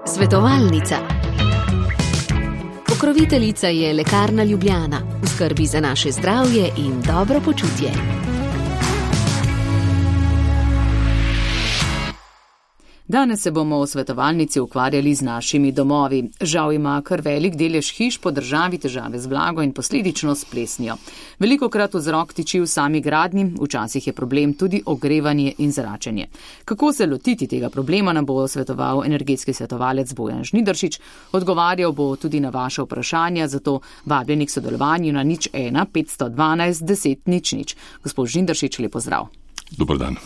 Svetovalnica. Pokroviteljica je Lekarna Ljubljana, v skrbi za naše zdravje in dobro počutje. Danes se bomo v svetovalnici ukvarjali z našimi domovi. Žal ima kar velik delež hiš po državi težave z vlago in posledično s plesnijo. Velikokrat vzrok tiči v sami gradnji, včasih je problem tudi ogrevanje in zračenje. Kako se lotiti tega problema, nam bo svetoval energetski svetovalec Bojan Žnidaršič. Odgovarjal bo tudi na vaše vprašanja, zato vabljeni k sodelovanju na 01 512 10 00. Gospod Žnidaršič, lep pozdrav. Dober dan.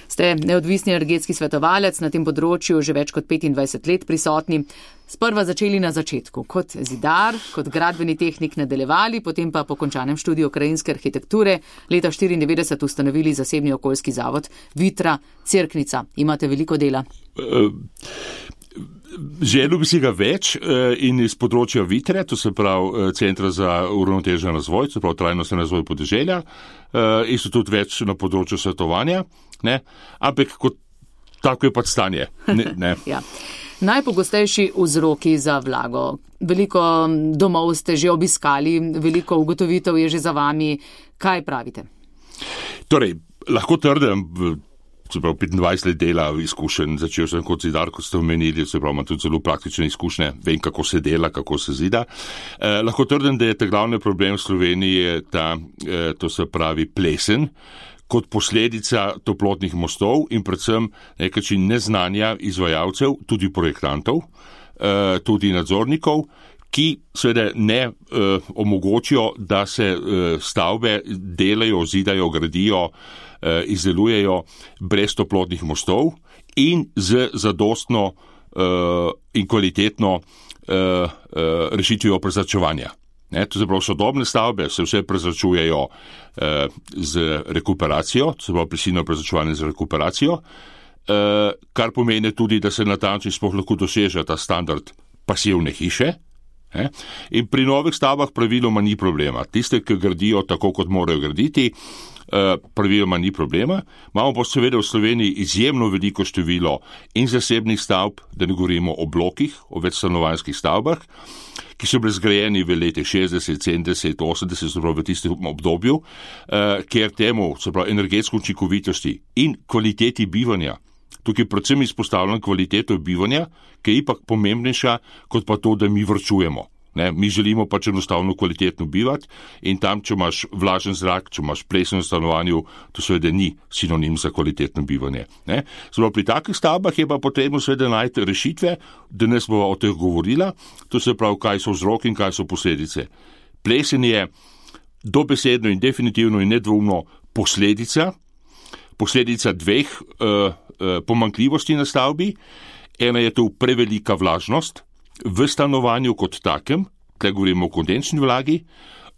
Ste neodvisni energetski svetovalec, na tem področju že več kot 25 let prisotni. Sprva začeli na začetku, kot zidar, kot gradbeni tehnik nadaljevali, potem pa po končanem študiju krajinske arhitekture leta 1994 ustanovili zasebni okoljski zavod Vitra Cerknica. Imate veliko dela? Želel bi si ga več in iz področja Vitre, to se pravi Centra za uravnotežen razvoj, to se pravi trajnostni razvoj podeželja, in so tudi več na področju svetovanja, ne? Ampak kot tako je pač stanje. Ne. Ja. Najpogostejši vzroki za vlago. Veliko domov ste že obiskali, veliko ugotovitev je že za vami. Kaj pravite? Torej, lahko trdim, se pravi 25 let dela izkušenj, začel sem kot zidar, kot ste omenili, se pravi imam tudi zelo praktične izkušnje, vem kako se dela, kako se zida. Lahko trdim, da je ta glavni problem v Sloveniji to se pravi plesen, kot posledica toplotnih mostov in predvsem nekaj neznanja izvajalcev, tudi projektantov, tudi nadzornikov, ki seveda ne omogočijo, da se stavbe delajo, zidajo, gradijo, izdelujejo brez toplotnih mostov in z zadostno in kvalitetno rešitvijo prezračevanja. To se pravi, sodobne stavbe se vse prezračujejo z rekuperacijo, to se pravi prisilno prezračevanje z rekuperacijo, kar pomeni tudi, da se natančno sploh lahko doseže ta standard pasivne hiše. In pri novih stavbah praviloma ni problema. Tiste, ki gradijo tako, kot morajo graditi, praviloma ni problema. Imamo pa seveda v Sloveniji izjemno veliko število in zasebnih stavb, da ne govorimo o blokih, o večstanovanjskih stavbah, ki so bili zgrajeni v letih 60, 70, 80, se pravi v tistem obdobju, kjer temu, se pravi energetsko učinkovitosti in kvaliteti bivanja, tukaj predvsem izpostavljam kvaliteto bivanja, ki je ipak pomembnejša, kot pa to, da mi varčujemo. Mi želimo pač enostavno kvalitetno bivati in tam, če imaš vlažen zrak, če imaš plesen v stanovanju, to seveda ni sinonim za kvalitetno bivanje. Zdaj, pri takih stavbah je pa potrebno seveda najti rešitve, danes bova o teh govorila, to se pravi, kaj so vzroki in kaj so posledice. Plesen je dobesedno in definitivno in nedvoumno posledica dveh pomanjkljivosti na stavbi. Ena je to prevelika vlažnost v stanovanju kot takem, tukaj govorimo o kondenčni vlagi,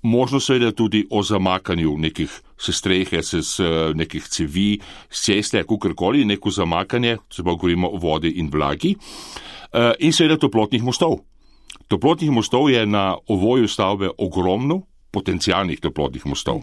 možno seveda tudi o zamakanju nekih strehe, nekih cevi, ceste, kakorkoli, neko zamakanje, se pa govorimo o vodi in vlagi, in seveda toplotnih mostov. Toplotnih mostov je na ovoju stavbe ogromno, potencialnih toplotnih mostov.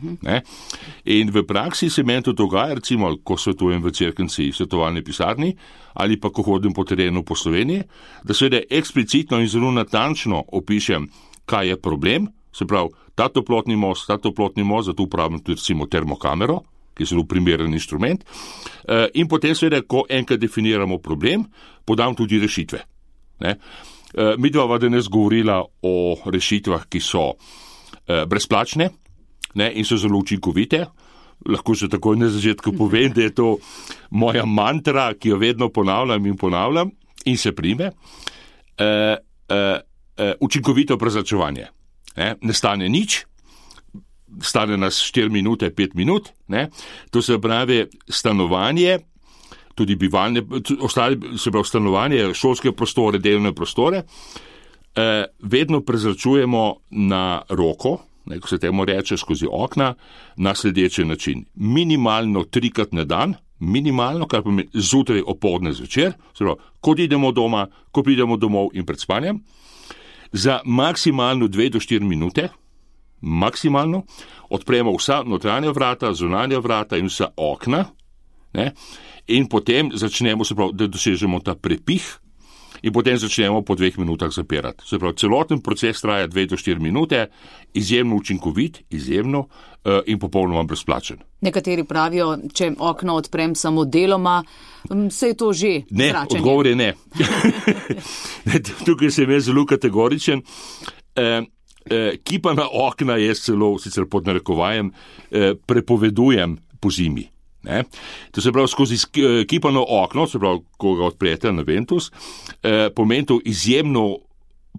In v praksi se meni to dogaja, recimo, ko svetujem v Cerknici svetovalni pisarni ali pa ko hodim po terenu po Sloveniji, da seveda eksplicitno in zelo natančno opišem, kaj je problem, se pravi, ta toplotni most, zato uporabljam tudi recimo termokamero, ki je zelo primeren inštrument, in potem seveda, ko enkrat definiramo problem, podam tudi rešitve. Mi dva danes govorila o rešitvah, ki so brezplačne in so zelo učinkovite. Lahko že takoj na začetku povem, da je to moja mantra, ki jo vedno ponavljam in se prime. Učinkovito prezračevanje. Ne stane nič, stane nas 4 minute, 5 minut. To se pravi stanovanje, tudi bivalne, ostale, se pravi stanovanje, šolske prostore, delovne prostore, vedno prezračujemo na roko, ko se temu reče skozi okna, na sledeči način. Minimalno 3-krat na dan, minimalno, kar pomeni zjutraj, opoldne, zvečer, se pravi, ko idemo doma, ko pridemo domov in pred spanjem, za maksimalno 2 do 4 minute, maksimalno, odpremo vsa notranja vrata, zunanja vrata in vsa okna, ne? In potem začnemo, se pravi, da dosežemo ta prepih in potem začnemo po 2 minutah zapirati. Se pravi, celoten proces traja 2 do 4 minute, izjemno učinkovit, izjemno in popolnoma brezplačen. Nekateri pravijo, če okno odprem samo deloma, se je to že ne, zračenje. Odgovor je ne. Tukaj sem jaz zelo kategoričen. Kipana okna jaz celo, sicer pod narekovajem, prepovedujem po zimi. Ne? To se pravi, skozi kipano okno, se pravi, ko ga odprete na Ventus, pomeni to izjemno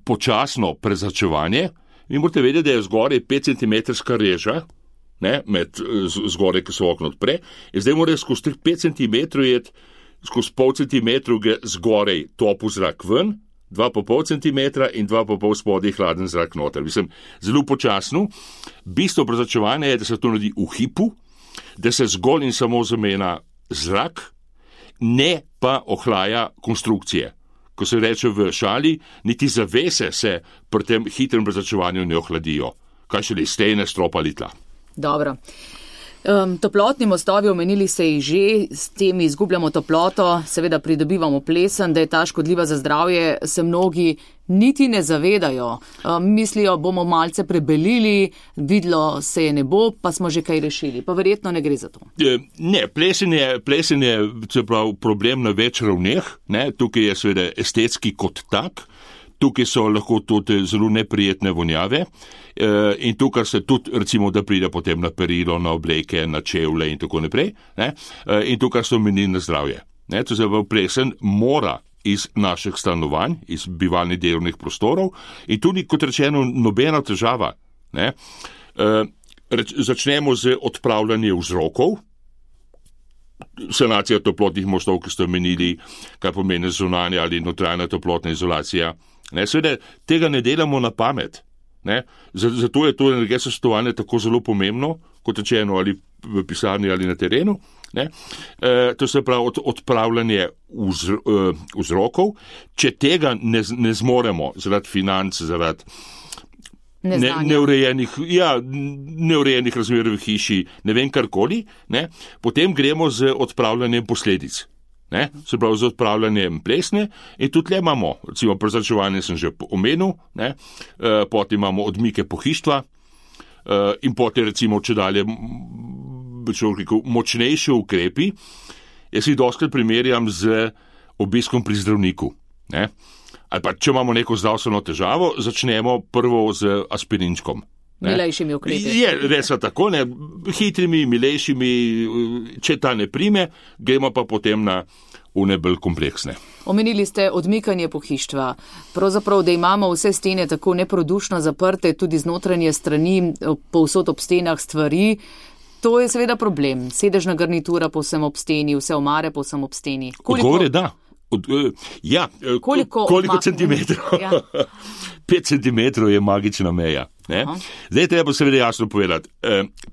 počasno prezračevanje. Vi morate vedeti, da je zgoraj 5 cm reža, ne, med zgoraj, ki se okno odpre, in zdaj morate skozi 5 cm jeti, skozi pol centimetra zgoraj topu zrak ven, 2,5 cm in 2,5 spodaj hladen zrak noter. Mislim, zelo počasno. Bistvo prezračevanja je, da se to naredi v hipu, da se zgolj in samo zamenja zrak, ne pa ohlaja konstrukcije. Ko se reče v šali, niti zavese se pri tem hitrem prezračevanju ne ohladijo. Kaj šele stene, stropa ali tla. Dobro. Toplotni mostovi, omenili se jih že, s tem izgubljamo toploto, seveda pridobivamo plesen, da je ta škodljiva za zdravje, se mnogi niti ne zavedajo. Mislijo, bomo malce prebelili, videlo se je ne bo, pa smo že kaj rešili. Pa verjetno ne gre za to. Ne, plesen je problem na več ravneh. Ne? Tukaj je seveda estetski kot tak. Tukaj so lahko tudi zelo neprijetne vonjave in tukaj se tudi, recimo, da pride potem na perilo, na obleke, na čevlje in tako naprej. Ne? In tukaj so menili na zdravje. Ne? To se plesen mora iz naših stanovanj, iz bivalnih delovnih prostorov in tudi, kot rečeno, nobena težava. Ne? Začnemo z odpravljanjem vzrokov. Sanacija toplotnih mostov, ki ste omenili, kaj pomeni zunanja ali notranja toplotna izolacija. Ne, seveda, tega ne delamo na pamet. Ne. Zato je to energetsko svetovanje tako zelo pomembno, kot rečeno, ali v pisarni ali na terenu. Ne. To se pravi odpravljanje vzrokov. Če tega ne zmoremo zaradi financ, zaradi neurejenih razmer v hiši, ne vem karkoli, ne, potem gremo z odpravljanjem posledic. Ne, se pravi z odpravljanjem plesne in tudi le imamo, recimo prezračevanje sem že omenil, ne, potem imamo odmike pohištva in potem recimo če dalje močnejši ukrepi. Jaz jih dostakrat primerjam z obiskom pri zdravniku. Ne. Ali pa če imamo neko zdravstveno težavo, začnemo prvo z aspirinčkom. Milejšimi ukrepi. Je res tako, ne, hitrimi, milejšimi, če ta ne prime, gremo pa potem na une bolj kompleksne. Omenili ste odmikanje pohištva. Pravzaprav, da imamo vse stene tako neprodušno zaprte, tudi znotranje strani, povsod ob stenah stvari, to je seveda problem. Sedežna garnitura povsem ob steni, vse omare povsem ob steni. Odgovor je da. Koliko centimetrov? Ja. 5 centimetrov je magična meja. Ne? Zdaj treba seveda jasno povedati.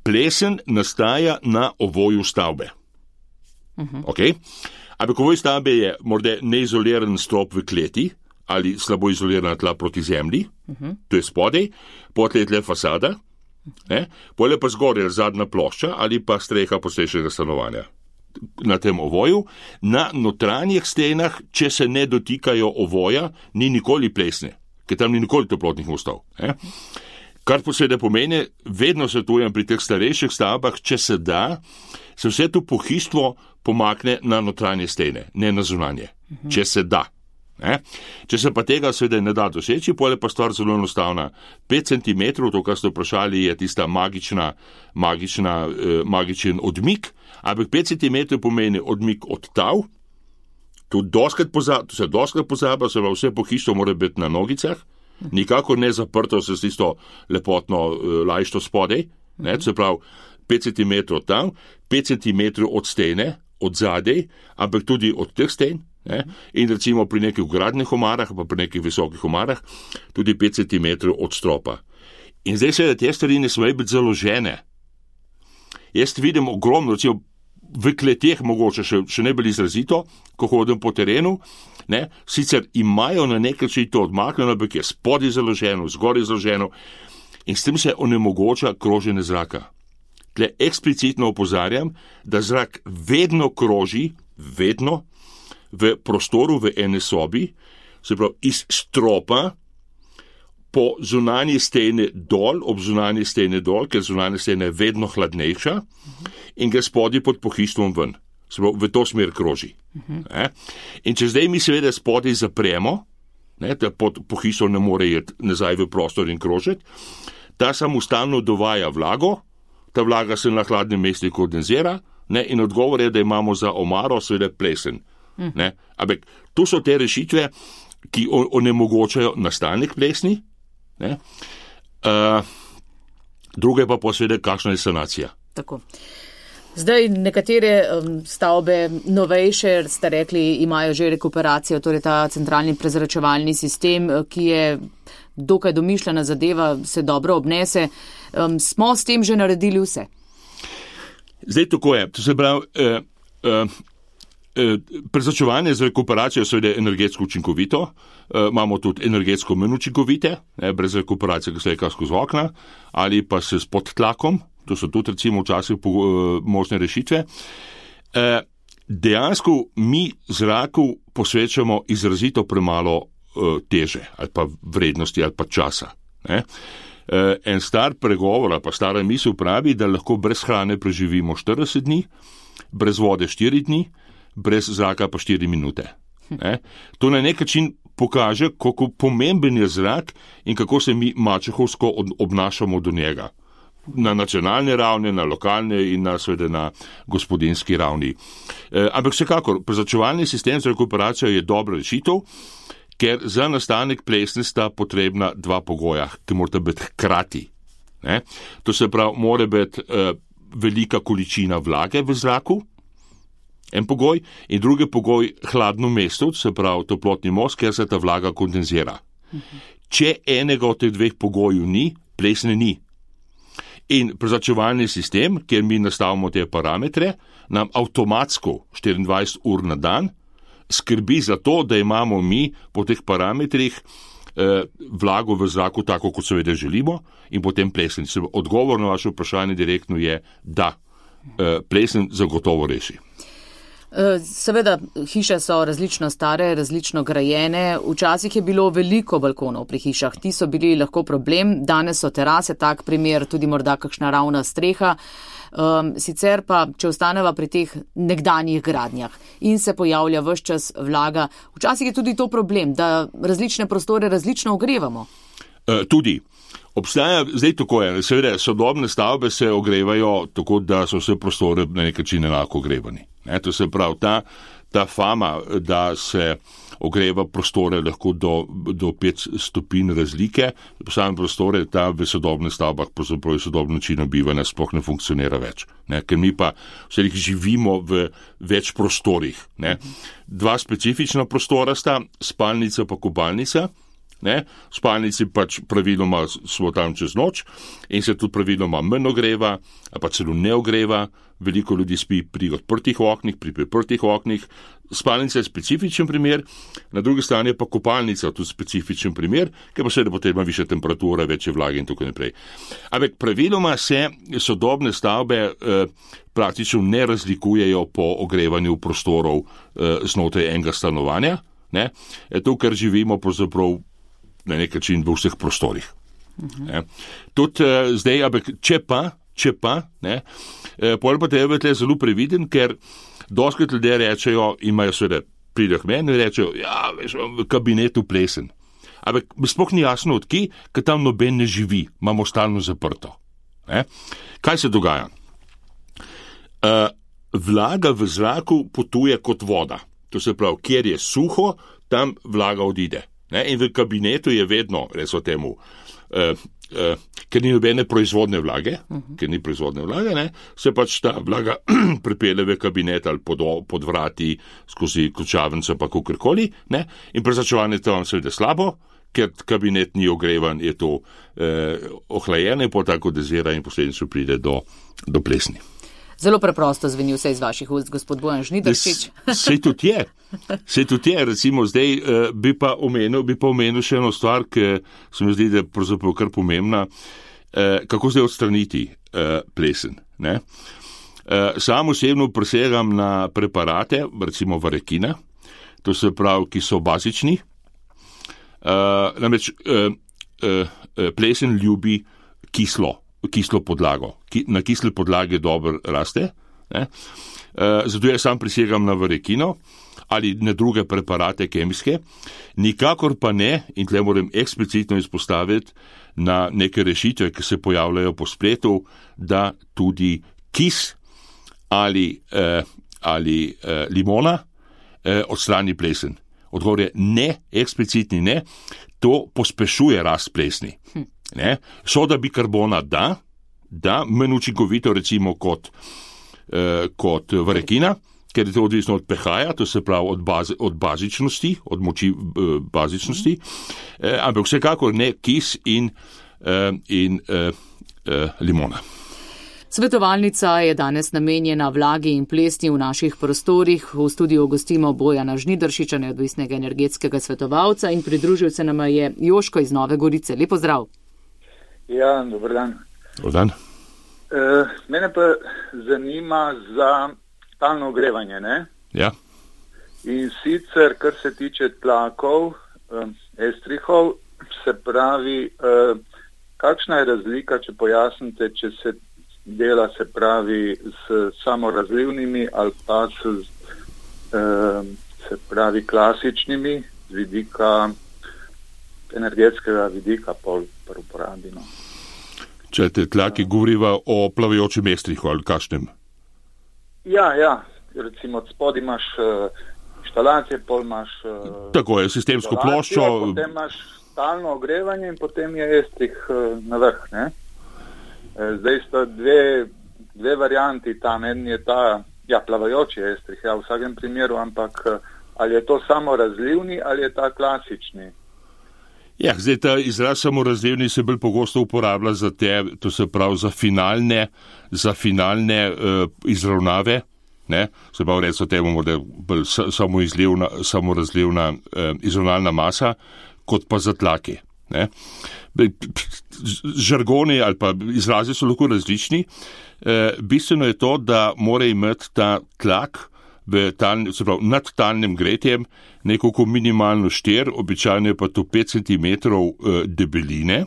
Plesen nastaja na ovoju stavbe. Okay? Ampak ovoj stavbe je morda neizoliran strop v kleti ali slabo izolirana tla proti zemlji, to je spodaj, potem je tle fasada, potem pa zgoraj zadnja plošča ali pa streha poslejšega stanovanja. Na tem ovoju, na notranjih stenah, če se ne dotikajo ovoja, ni nikoli plesne, ker tam ni nikoli toplotnih mostov. Kar posebej pomeni, vedno svetujem pri teh starejših stavbah, če se da, se vse to pohištvo pomakne na notranje stene, ne na zunanje. Če se da. Če se pa tega seveda ne da doseči, potem je pa stvar zelo enostavna. 5 cm, to, kar ste vprašali, je tista magičen odmik, ampak 5 cm pomeni odmik od tav, to se doskrat pozablja, se vse pohištvo mora biti na nogicah, nikakor ne zaprto se s tisto lepotno lajšto spodaj, se pravi 5 cm od tam, 5 cm od stene, od zadej, ampak tudi od teh sten. In recimo pri nekih gradnih omarah, pa pri nekih visokih omarah, tudi 5 cm od stropa. In zdaj se te stvari ne smejo biti založene. Jaz vidim ogromno, recimo v kleteh mogoče še ne bolj izrazito, ko hodim po terenu, sicer imajo na nek način to odmaknjeno, ampak je spodaj založeno, zgoraj založeno in s tem se onemogoča kroženje zraka. tle eksplicitno opozarjam, da zrak vedno kroži, vedno v prostoru v ene sobi, se pravi iz stropa po zunanji steni dol, ob zunanji steni dol, ker zunanja stena je vedno hladnejša in gre spodaj pod pohištvom ven. Se pravi, v to smer kroži. In če zdaj mi seveda spodaj zapremo, da pod pohištvom ne more iti nazaj v prostor in krožiti, ta samo stalno dovaja vlago, ta vlaga se na hladnem mestu kondenzira, in odgovor je, da imamo za omaro seveda plesen. Ampak to so te rešitve, ki onemogočajo nastanek plesni. Druga je pa posveda, kakšna je sanacija. Tako. Zdaj nekatere stavbe novejše, ste rekli, imajo že rekuperacijo, torej ta centralni prezračevalni sistem, ki je dokaj domišljena zadeva, se dobro obnese. Smo s tem že naredili vse? Zdaj tako je. To se pravi, prezračevanje z rekuperacijo seveda energetsko učinkovito, imamo tudi energetsko manj učinkovite, brez rekuperacije, ki se leka skozi okna, ali pa se s podtlakom, to so tudi recimo včasih možne rešitve. Dejansko mi zraku posvečamo izrazito premalo teže, ali pa vrednosti, ali pa časa. En star pregovor, ali pa stara misel pravi, da lahko brez hrane preživimo 40 dni, brez vode 4 dni, brez zraka pa 4 minute. To na nek način pokaže, kako pomemben je zrak in kako se mi mačehovsko obnašamo do njega. Na nacionalni ravni, na lokalni in seveda na gospodinski ravni. Ampak vsekakor, prezračevalni sistem za rekuperacijo je dobra rešitev, ker za nastanek plesni sta potrebna dva pogoja, ki morata biti hkrati. To se pravi, mora biti velika količina vlage v zraku, en pogoj, in drugi pogoj hladno mesto, se pravi toplotni most, ker se ta vlaga kondenzira. Če enega od teh dveh pogojev ni, plesne ni. In prezračevalni sistem, kjer mi nastavimo te parametre, nam avtomatsko 24 ur na dan skrbi za to, da imamo mi po teh parametrih vlago v zraku tako, kot seveda želimo, in potem plesen. Odgovor na vaše vprašanje direktno je, da plesen zagotovo reši. Seveda, hiše so različno stare, različno grajene. Včasih je bilo veliko balkonov pri hišah. Ti so bili lahko problem. Danes so terase, tak primer, tudi morda kakšna ravna streha. Sicer pa, če ostaneva pri teh nekdanjih gradnjah in se pojavlja ves čas vlaga, včasih je tudi to problem, da različne prostore različno ogrevamo. Tudi. Obstaja, zdaj tako je, seveda sodobne stavbe se ogrevajo tako, da so vse prostore na nek način enako ogrevani. To se pravi, ta fama, da se ogreva prostore lahko do 5 stopinj razlike, same prostore, ta v sodobnih stavbah, pravzaprav sodobni način bivanja sploh ne funkcionira več. Ker mi pa vse živimo v več prostorih. Dva specifična prostora sta, spalnica pa kopalnica. V spalnici pač praviloma smo tam čez noč in se tudi praviloma manj ogreva, pa celo ne ogreva. Veliko ljudi spi pri odprtih oknih, pri priprtih oknih. Spalnica je specifičen primer, na drugi strani pa kopalnica tudi specifičen primer, ker pa seveda potrebna višja temperatura, večje vlage in tako naprej. Ampak praviloma se sodobne stavbe praktično ne razlikujejo po ogrevanju prostorov znotraj enega stanovanja. To, kar živimo pravzaprav na nek način v vseh prostorih. Tudi zdaj, ampak če pa, pol pa treba biti zelo previden, ker dostikrat ljudje rečejo, imajo seveda, pridejo k meni in rečejo, ja, veš, v kabinetu plesen. Ampak sploh ni jasno od kje, ker tam noben ne živi, imamo stalno zaprto. Kaj se dogaja? Vlaga v zraku potuje kot voda. To se pravi, kjer je suho, tam vlaga odide. In v kabinetu je vedno, recimo temu, ker ni nobene proizvodne vlage, se pač ta vlaga pripelje v kabinet ali pod vrati, skozi ključavnico pa kakorkoli, in prezračevanje tam seveda slabo, ker kabinet ni ogrevan, je to ohlajeno in potem kondenzira in posledično pride do plesni. Zelo preprosto zveni vse iz vaših ust, gospod Bojan Žnidaršič. Sej tudi je, recimo zdaj bi pa omenil še eno stvar, ki se mi zdi, da je pravzaprav kar pomembna, kako zdaj odstraniti. plesen. Ne? Sam osebno presegam na preparate, recimo varekina, to se pravi, ki so bazični. Namreč plesen ljubi kislo podlago. Na kisle podlage dobro raste. Ne? Zato jaz sam prisegam na varekino ali na druge preparate kemijske, nikakor pa ne, in tle moram eksplicitno izpostaviti, na neke rešitve, ki se pojavljajo po spletu, da tudi kis ali limona odstrani plesen. Odgovor je ne, eksplicitni ne, to pospešuje rast plesni. Ne? Soda bikarbona da, manj učinkovito recimo kot varekina, ker je to odvisno od pH-ja, to se pravi od bazičnosti, od moči bazičnosti, ampak vsekakor ne kis in limona. Svetovalnica je danes namenjena vlagi in plesni v naših prostorih. V studiu gostimo Bojana Žnidaršiča, neodvisnega energetskega svetovalca, in pridružil se nama je Joško iz Nove Gorice. Lep pozdrav. Ja, dober dan. Dober dan. Mene pa zanima za talno ogrevanje, ne? Ja. In sicer, kar se tiče tlakov, estrihov, se pravi, kakšna je razlika, če pojasnite, če se dela, se pravi, s samorazlivnimi ali pa se pravi, klasičnimi z vidika, energetskega vidika pol uporabi, no. Če te tlaki govoriva o plavajočem estrihu ali kakšnem? Ja, recimo spod imaš inštalacije, pol imaš tako je, sistemsko ploščo. Potem imaš talno ogrevanje in potem je estrih na vrh, ne? Zdaj sta dve varianti tam, en je ta, plavajoči estrih, v vsakem primeru, ampak ali je to samo razlivni ali je ta klasični? Ja, zdaj ta izraz samorazlivni se bolj pogosto uporablja za to se pravi za finalne izravnave, ne? Se pravi, recimo temu, da je bolj samorazlivna izravnalna masa, kot pa za tlake, ne? Žargoni ali pa izrazi so lahko različni. Bistveno je to, da mora imeti ta tlak se pravi, nad talnim gretjem nekako minimalno 4, običajno je pa to 5 cm debeline,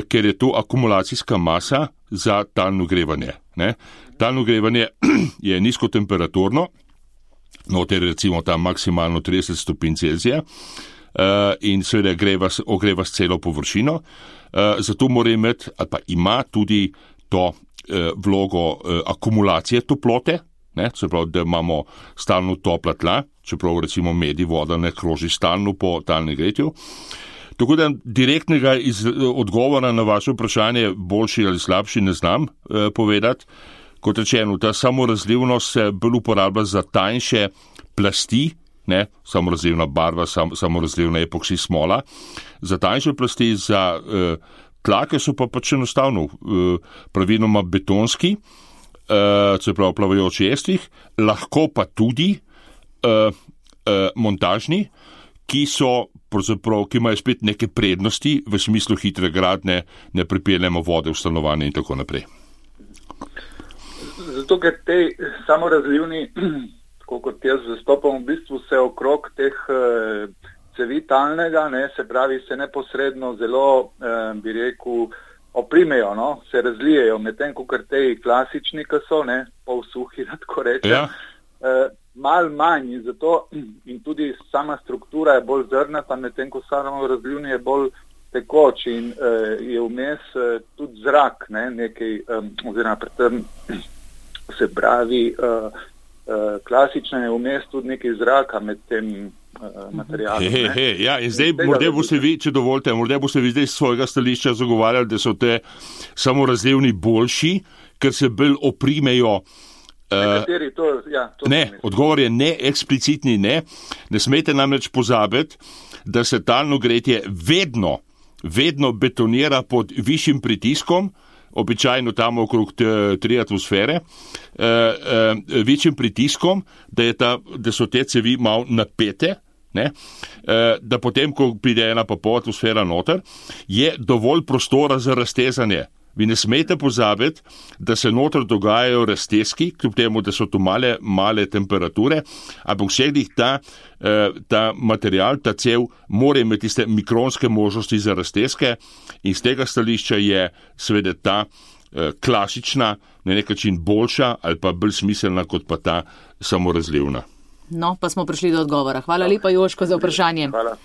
ker je to akumulacijska masa za talno grevanje. Ne? Talno grevanje je nizkotemperaturno, noter recimo tam maksimalno 30 stopinj Celzija, in seveda ogreva s celo površino, zato mora imeti ali pa ima tudi to vlogo akumulacije toplote, ne, se pravi, da imamo stalno topla tla, čeprav recimo med voda ne kroži stalno po talnem gretju. Tako da direktnega odgovora na vaše vprašanje, boljši ali slabši, ne znam povedati. Kot rečeno, ta samorazlivnost se bolj uporablja za tanjše plasti, ne, samorazlivna barva, samorazlivna epoksi smola, za tanjše plasti, za tlake so pa pač enostavno praviloma betonski, se pravi plavajoči estrih, lahko pa tudi montažni, ki imajo spet neke prednosti v smislu hitre gradnje, ne pripeljemo vode v stanovanje in tako naprej. Zato, ker te samorazlivni, tako kot jaz zastopam, v bistvu se okrog teh cevi talnega, ne, se pravi, se neposredno zelo, bi rekel, oprimejo, no, se razlijejo, medtem ko kar te klasični, ki so, ne, pol suhi, da tako rečem, ja. Mal manj in zato in tudi sama struktura je bolj zrnata, medtem ko samorazlivni je bolj tekoč in je vmes tudi zrak, ne, nekaj, oziroma predtem se pravi, klasična je vmes tudi nekaj zraka med tem materialom. Ja, in zdaj morda boste vi, če dovolite, morda boste vi zdaj z svojega stališča zagovarjali, da so te samorazlivni boljši, ker se bolj oprimejo. Ne, odgovor je ne, eksplicitni ne. Ne smete namreč pozabiti, da se talno gretje vedno betonira pod višjim pritiskom, običajno tam okrog 3 atmosfere, večjim pritiskom, da so te cevi malo napete, ne? Da potem, ko pride 1,5 atmosfera noter, je dovolj prostora za raztezanje vi ne smete pozabiti, da se noter dogajajo razteski, kljub temu, da so tu male temperature, ampak vseh ta material, ta cev, mora imeti tiste mikronske možnosti za razteske in z tega stališča je seveda ta klasična, na nek način boljša ali pa bolj smiselna kot pa ta samorazlivna. No, pa smo prišli do odgovora. Hvala lepa, Joško, za vprašanje. Hvala.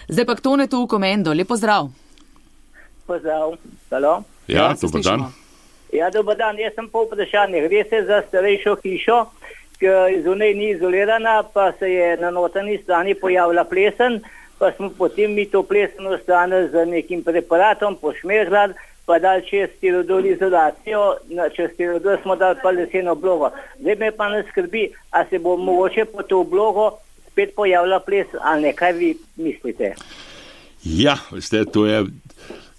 Zdaj pa k Tonetu v Komendo. Lep pozdrav. Pozdrav. Halo. Ja, dober dan. Ja, dober dan. Jaz sem po vprašanju. Gre se za starejšo hišo, ki zunaj ni izolirana, pa se je na notranji strani pojavila plesen, pa smo potem mi to pleseno stran z nekim preparatom pošmežljali, pa dali čez stirodor izolacijo, čez stirodor smo dali pa leseno oblogo. Zdaj me pa ne skrbi, a se bo mogoče po to oblogo spet pojavila plesen, ali ne, kaj vi mislite? Ja, veste, to je,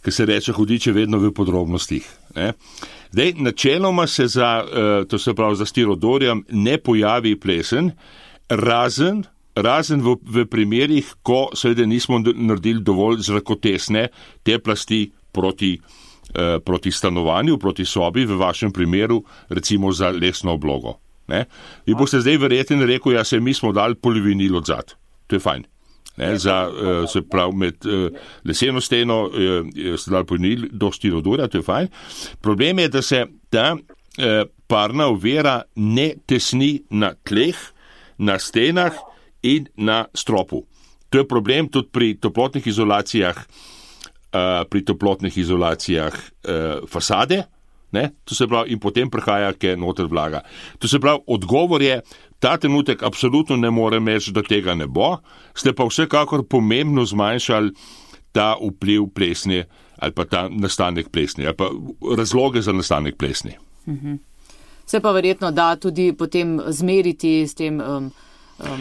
ki se reče, hudiče vedno v podrobnostih. Ne? Zdaj, načeloma se to se pravi za stirodorjem ne pojavi plesen, razen v primerih, ko seveda nismo naredili dovolj zrakotesne te plasti proti stanovanju, proti sobi, v vašem primeru recimo za lesno oblogo. Ne? Vi boste zdaj verjetno rekel, ja, mi smo dali polivinil odzad. To je fajn. Ne, se pravi, med leseno steno ste dali polivinil do stirodorja, to je fajn. Problem je, da se ta parna ovira ne tesni na tleh, na stenah in na stropu. To je problem tudi pri toplotnih izolacijah fasade. Ne? To se pravi, in potem prihaja, ke noter vlaga. To se pravi, odgovor je, ta trenutek absolutno ne morem reči, da tega ne bo, ste pa vsekakor pomembno zmanjšali ta vpliv plesni ali pa ta nastanek plesni, ali pa razloge za nastanek plesni. Se pa verjetno da tudi potem zmeriti s tem.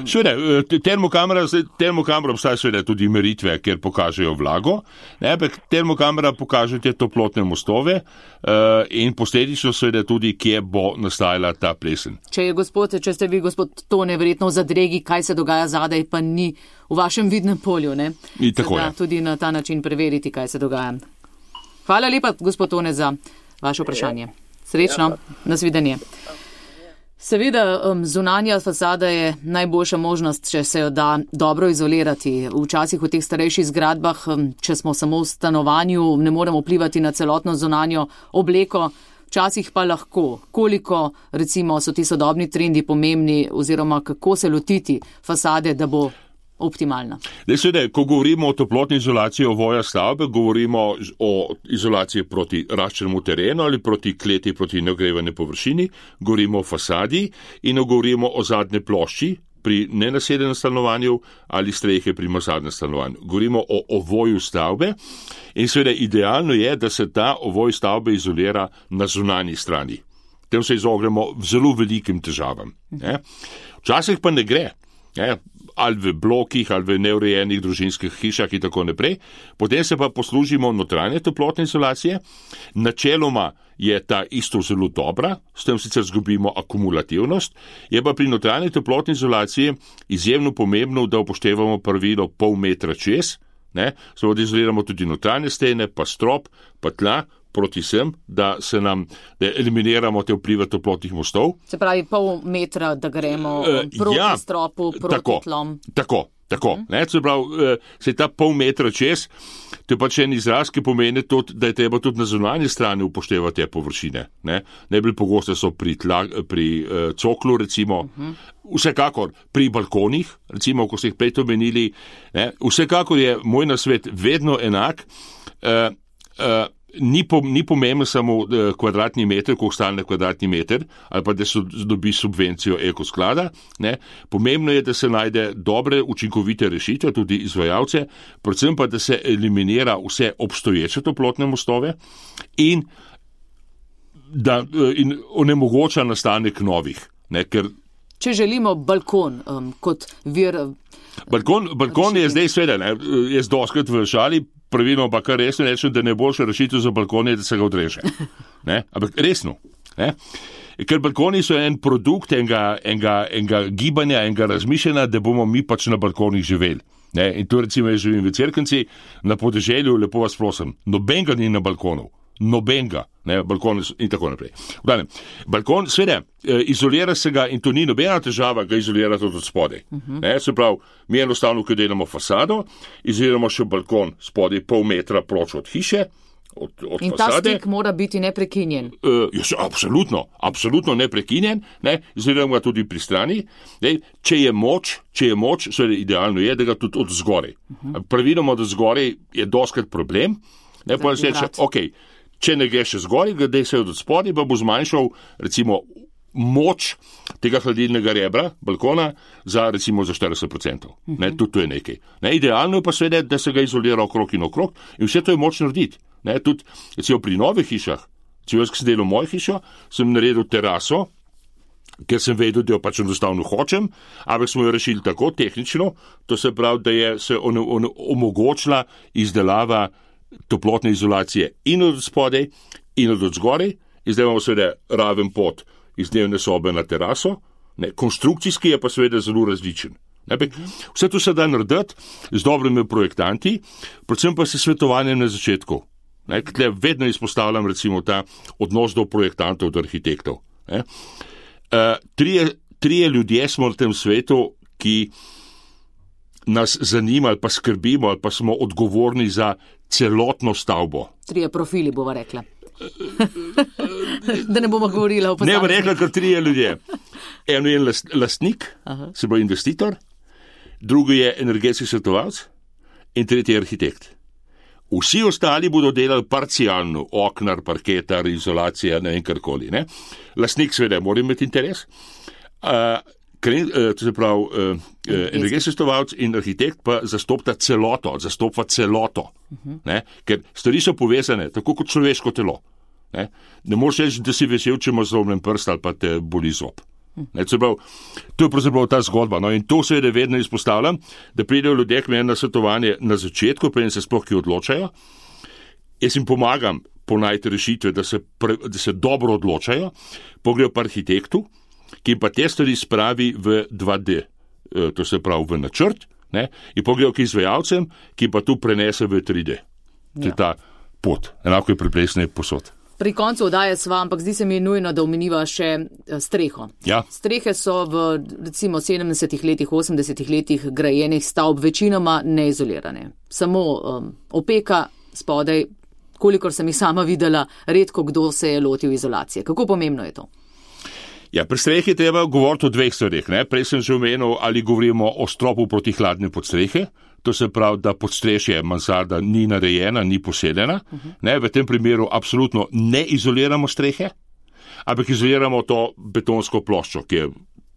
Seveda, termokamera obstaja seveda tudi meritve, kjer pokažejo vlago, ampak termokamera pokaže te toplotne mostove in posledično seveda tudi, kje bo nastajala ta plesen. Če ste vi, gospod Tone, verjetno v zadregi, kaj se dogaja zadaj, pa ni v vašem vidnem polju, ne? In tako je. Tudi na ta način preveriti, kaj se dogaja. Hvala lepa, gospod Tone, za vaše vprašanje. Srečno, nasvidenje. Seveda, zunanja fasada je najboljša možnost, če se jo da dobro izolirati. Včasih v teh starejših zgradbah, če smo samo v stanovanju, ne moremo vplivati na celotno zunanjo obleko, včasih pa lahko. Koliko, recimo, so ti sodobni trendi pomembni oziroma kako se lotiti fasade, da bo optimalna? Seveda, ko govorimo o toplotni izolaciji ovoja stavbe, govorimo o izolaciji proti raščenemu terenu ali proti kleti, proti neogrevane površini, govorimo o fasadi in govorimo o zadnje plošči pri nenaseljenem stanovanju ali strehe pri mansardnem stanovanju. Govorimo o ovoju stavbe in seveda idealno je, da se ta ovoj stavbe izolira na zunanji strani. Tem se izognemo zelo velikim težavam. Včasih pa ne gre. Ali v blokih, ali v neurejenih družinskih hišah in tako naprej. Potem se pa poslužimo notranje toplotne izolacije. Načeloma je ta isto zelo dobra, s tem sicer zgubimo akumulativnost, je pa pri notranji toplotni izolaciji izjemno pomembno, da upoštevamo pravilo pol metra čez, seveda da izoliramo tudi notranje stene, pa strop, pa tla, proti sem, da eliminiramo te vplive toplotnih mostov. Se pravi, pol metra, da gremo proti stropu, proti tlom. Tako. Se pravi, se ta pol metra čez, to je pač en izraz, ki pomeni tudi, da je treba tudi na zunanji strani upoštevati te površine. Najbolj pogoste so pri coklu, recimo, vsekakor pri balkonih, recimo, ko ste jih prej omenili, vsekakor je moj nasvet vedno enak, Ni pomembno samo kvadratni meter, koliko stane kvadratni meter, ali pa da se dobi subvencijo ekosklada. Pomembno je, da se najde dobre, učinkovite rešitve, tudi izvajalce, predvsem pa, da se eliminira vse obstoječe toplotne mostove in onemogoča nastanek novih. Če želimo balkon kot vir. Balkon je zdaj sveda, jaz doskrat v šali, pravilno pa kar resno rečem, da najboljša rešitev za balkon je, da se ga odreže. Ampak resno. Ker balkoni so en produkt enega gibanja, enega razmišljanja, da bomo mi pač na balkonih živeli. In to recimo jaz živim v Cerknici, na podeželju, lepo vas prosim, nobenega ni na balkonu. nobenega, balkon in tako naprej. Balkon, seveda, izolira se ga in to ni nobena težava, ga izolira tudi od spodaj. Se pravi, mi enostavno, ko delamo fasado, izoliramo še balkon spodaj pol metra proč od hiše, od in fasade. Ta stik mora biti neprekinjen. Absolutno neprekinjen, izoliramo ga tudi pri strani. Če je moč, seveda idealno je, da ga tudi od zgoraj. Praviloma od zgoraj je doskrat problem, pa se reče, če ne gre še zgoraj, gledaj se od spodaj, pa bo zmanjšal recimo moč tega hladilnega rebra, balkona, recimo za 40%. Tudi to je nekaj. Idealno je pa seveda, da se ga izolira okrog in okrog in vse to je moč narediti. Tudi recimo pri novih hišah, jaz, ki sem delal mojo hišo, sem naredil teraso, ker sem vedel, da jo pač enostavno hočem, ampak smo jo rešili tako tehnično, to se pravi, da je se omogočila izdelava toplotne izolacije in od spodaj in od zgoraj, in zdaj imamo seveda raven pot iz dnevne sobe na teraso, konstrukcijski je pa seveda zelo različen. Vse to se da narediti z dobrimi projektanti, predvsem pa s svetovanjem na začetku. Tle vedno izpostavljam recimo ta odnos do projektantov, do arhitektov. Trije ljudje smo na tem svetu, ki nas zanima ali pa skrbimo ali pa smo odgovorni za celotno stavbo. Trije profili, bova rekla. Da ne bomo govorila o posameznih. Ne bom rekla, kar trije ljudje. Eno je lastnik, se pravi investitor, drugi je energetski svetovalec in tretji je arhitekt. Vsi ostali bodo delali parcialno, oknar, parketar, izolacija, ne vem karkoli. Lastnik seveda mora imeti interes, to se pravi energetski svetovalec in arhitekt pa zastopa celoto. Ker stvari so povezane, tako kot človeško telo. Ne moreš reči, da si vesel, če imaš zlomljen prst ali pa te boli zob. To je pravzaprav ta zgodba. In to seveda vedno izpostavljam, da pridejo ljudje k meni na svetovanje na začetku, preden se sploh ki odločajo. Jaz jim pomagam ponajti rešitve, da se dobro odločajo, pogledajo pa arhitektu, ki pa te stvari spravi v 2D, to se pravi v načrt, in pogledajo k izvajalcem, ki pa tu prenese v 3D. To je ta pot, enako je pri plesni posod. Pri koncu oddaje sva, ampak zdi se mi nujno, da omeniva še streho. Ja. Strehe so v recimo 70 letih, 80 letih grajenih stavb večinoma neizolirane. Samo opeka spodaj, kolikor sem jih sama videla, redko kdo se je lotil izolacije. Kako pomembno je to? Ja, pri strehi treba govoriti o dveh stvareh. Prej sem že omenil, ali govorimo o stropu proti hladne podstrehe. To se pravi, da podstrešje mansarda ni narejena, ni posedena. V tem primeru absolutno ne izoliramo strehe, ampak izoliramo to betonsko ploščo, ki je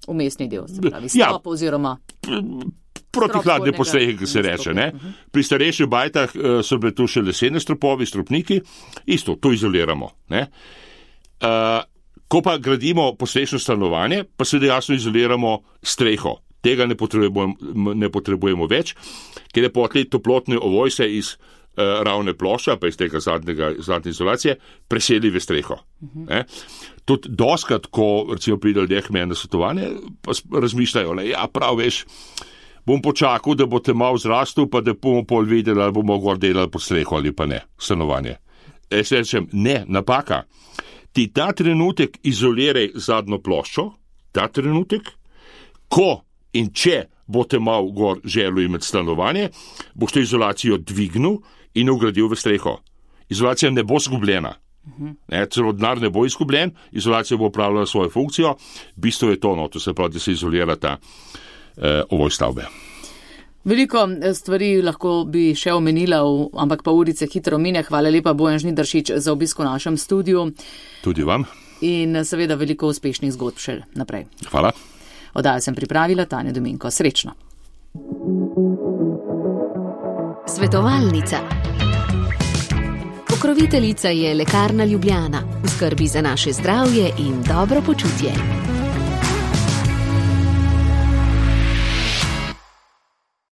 umestni del, se pravi strop oziroma proti hladne podstrehe, ki se reče. Pri starejših bajtah so bile tu še lesene stropovi, stropniki, isto, to izoliramo. Ko pa gradimo podstrešno stanovanje, pa seveda jasno izoliramo streho. Tega ne potrebujemo več, ker je potlej toplotne ovojse iz ravne plošča, pa iz tega zadnje izolacije, preseli v streho. Tudi doskrat, ko recimo pride ljudje k meni na svetovanje, pa razmišljajo, prav veš, bom počakal, da bo te malo zrastel, pa da bomo pol videli, ali bomo gor delali pod streho ali pa ne, stanovanje. Jaz rečem, ne, napaka. Ti ta trenutek izoliraj zadnjo ploščo, ta trenutek, ko in če boste malo gor želel imeti stanovanje, boste izolacijo dvignil in ugradil v streho. Izolacija ne bo zgubljena. Celo denar ne bo izgubljen, izolacija bo opravljala svojo funkcijo. Bistvo je to, to se pravi, da se izolira ta ovoj stavbe. Veliko stvari lahko bi še omenila, ampak pa urice hitro mine. Hvala lepa, Bojan Žnidaršič, za obisk v našem studiu. Tudi vam. In seveda veliko uspešnih zgodb še naprej. Hvala. Oddajo sem pripravila Tanja Dominko. Srečno. Svetovalnica. Pokroviteljica je Lekarna Ljubljana. V skrbi za naše zdravje in dobro počutje.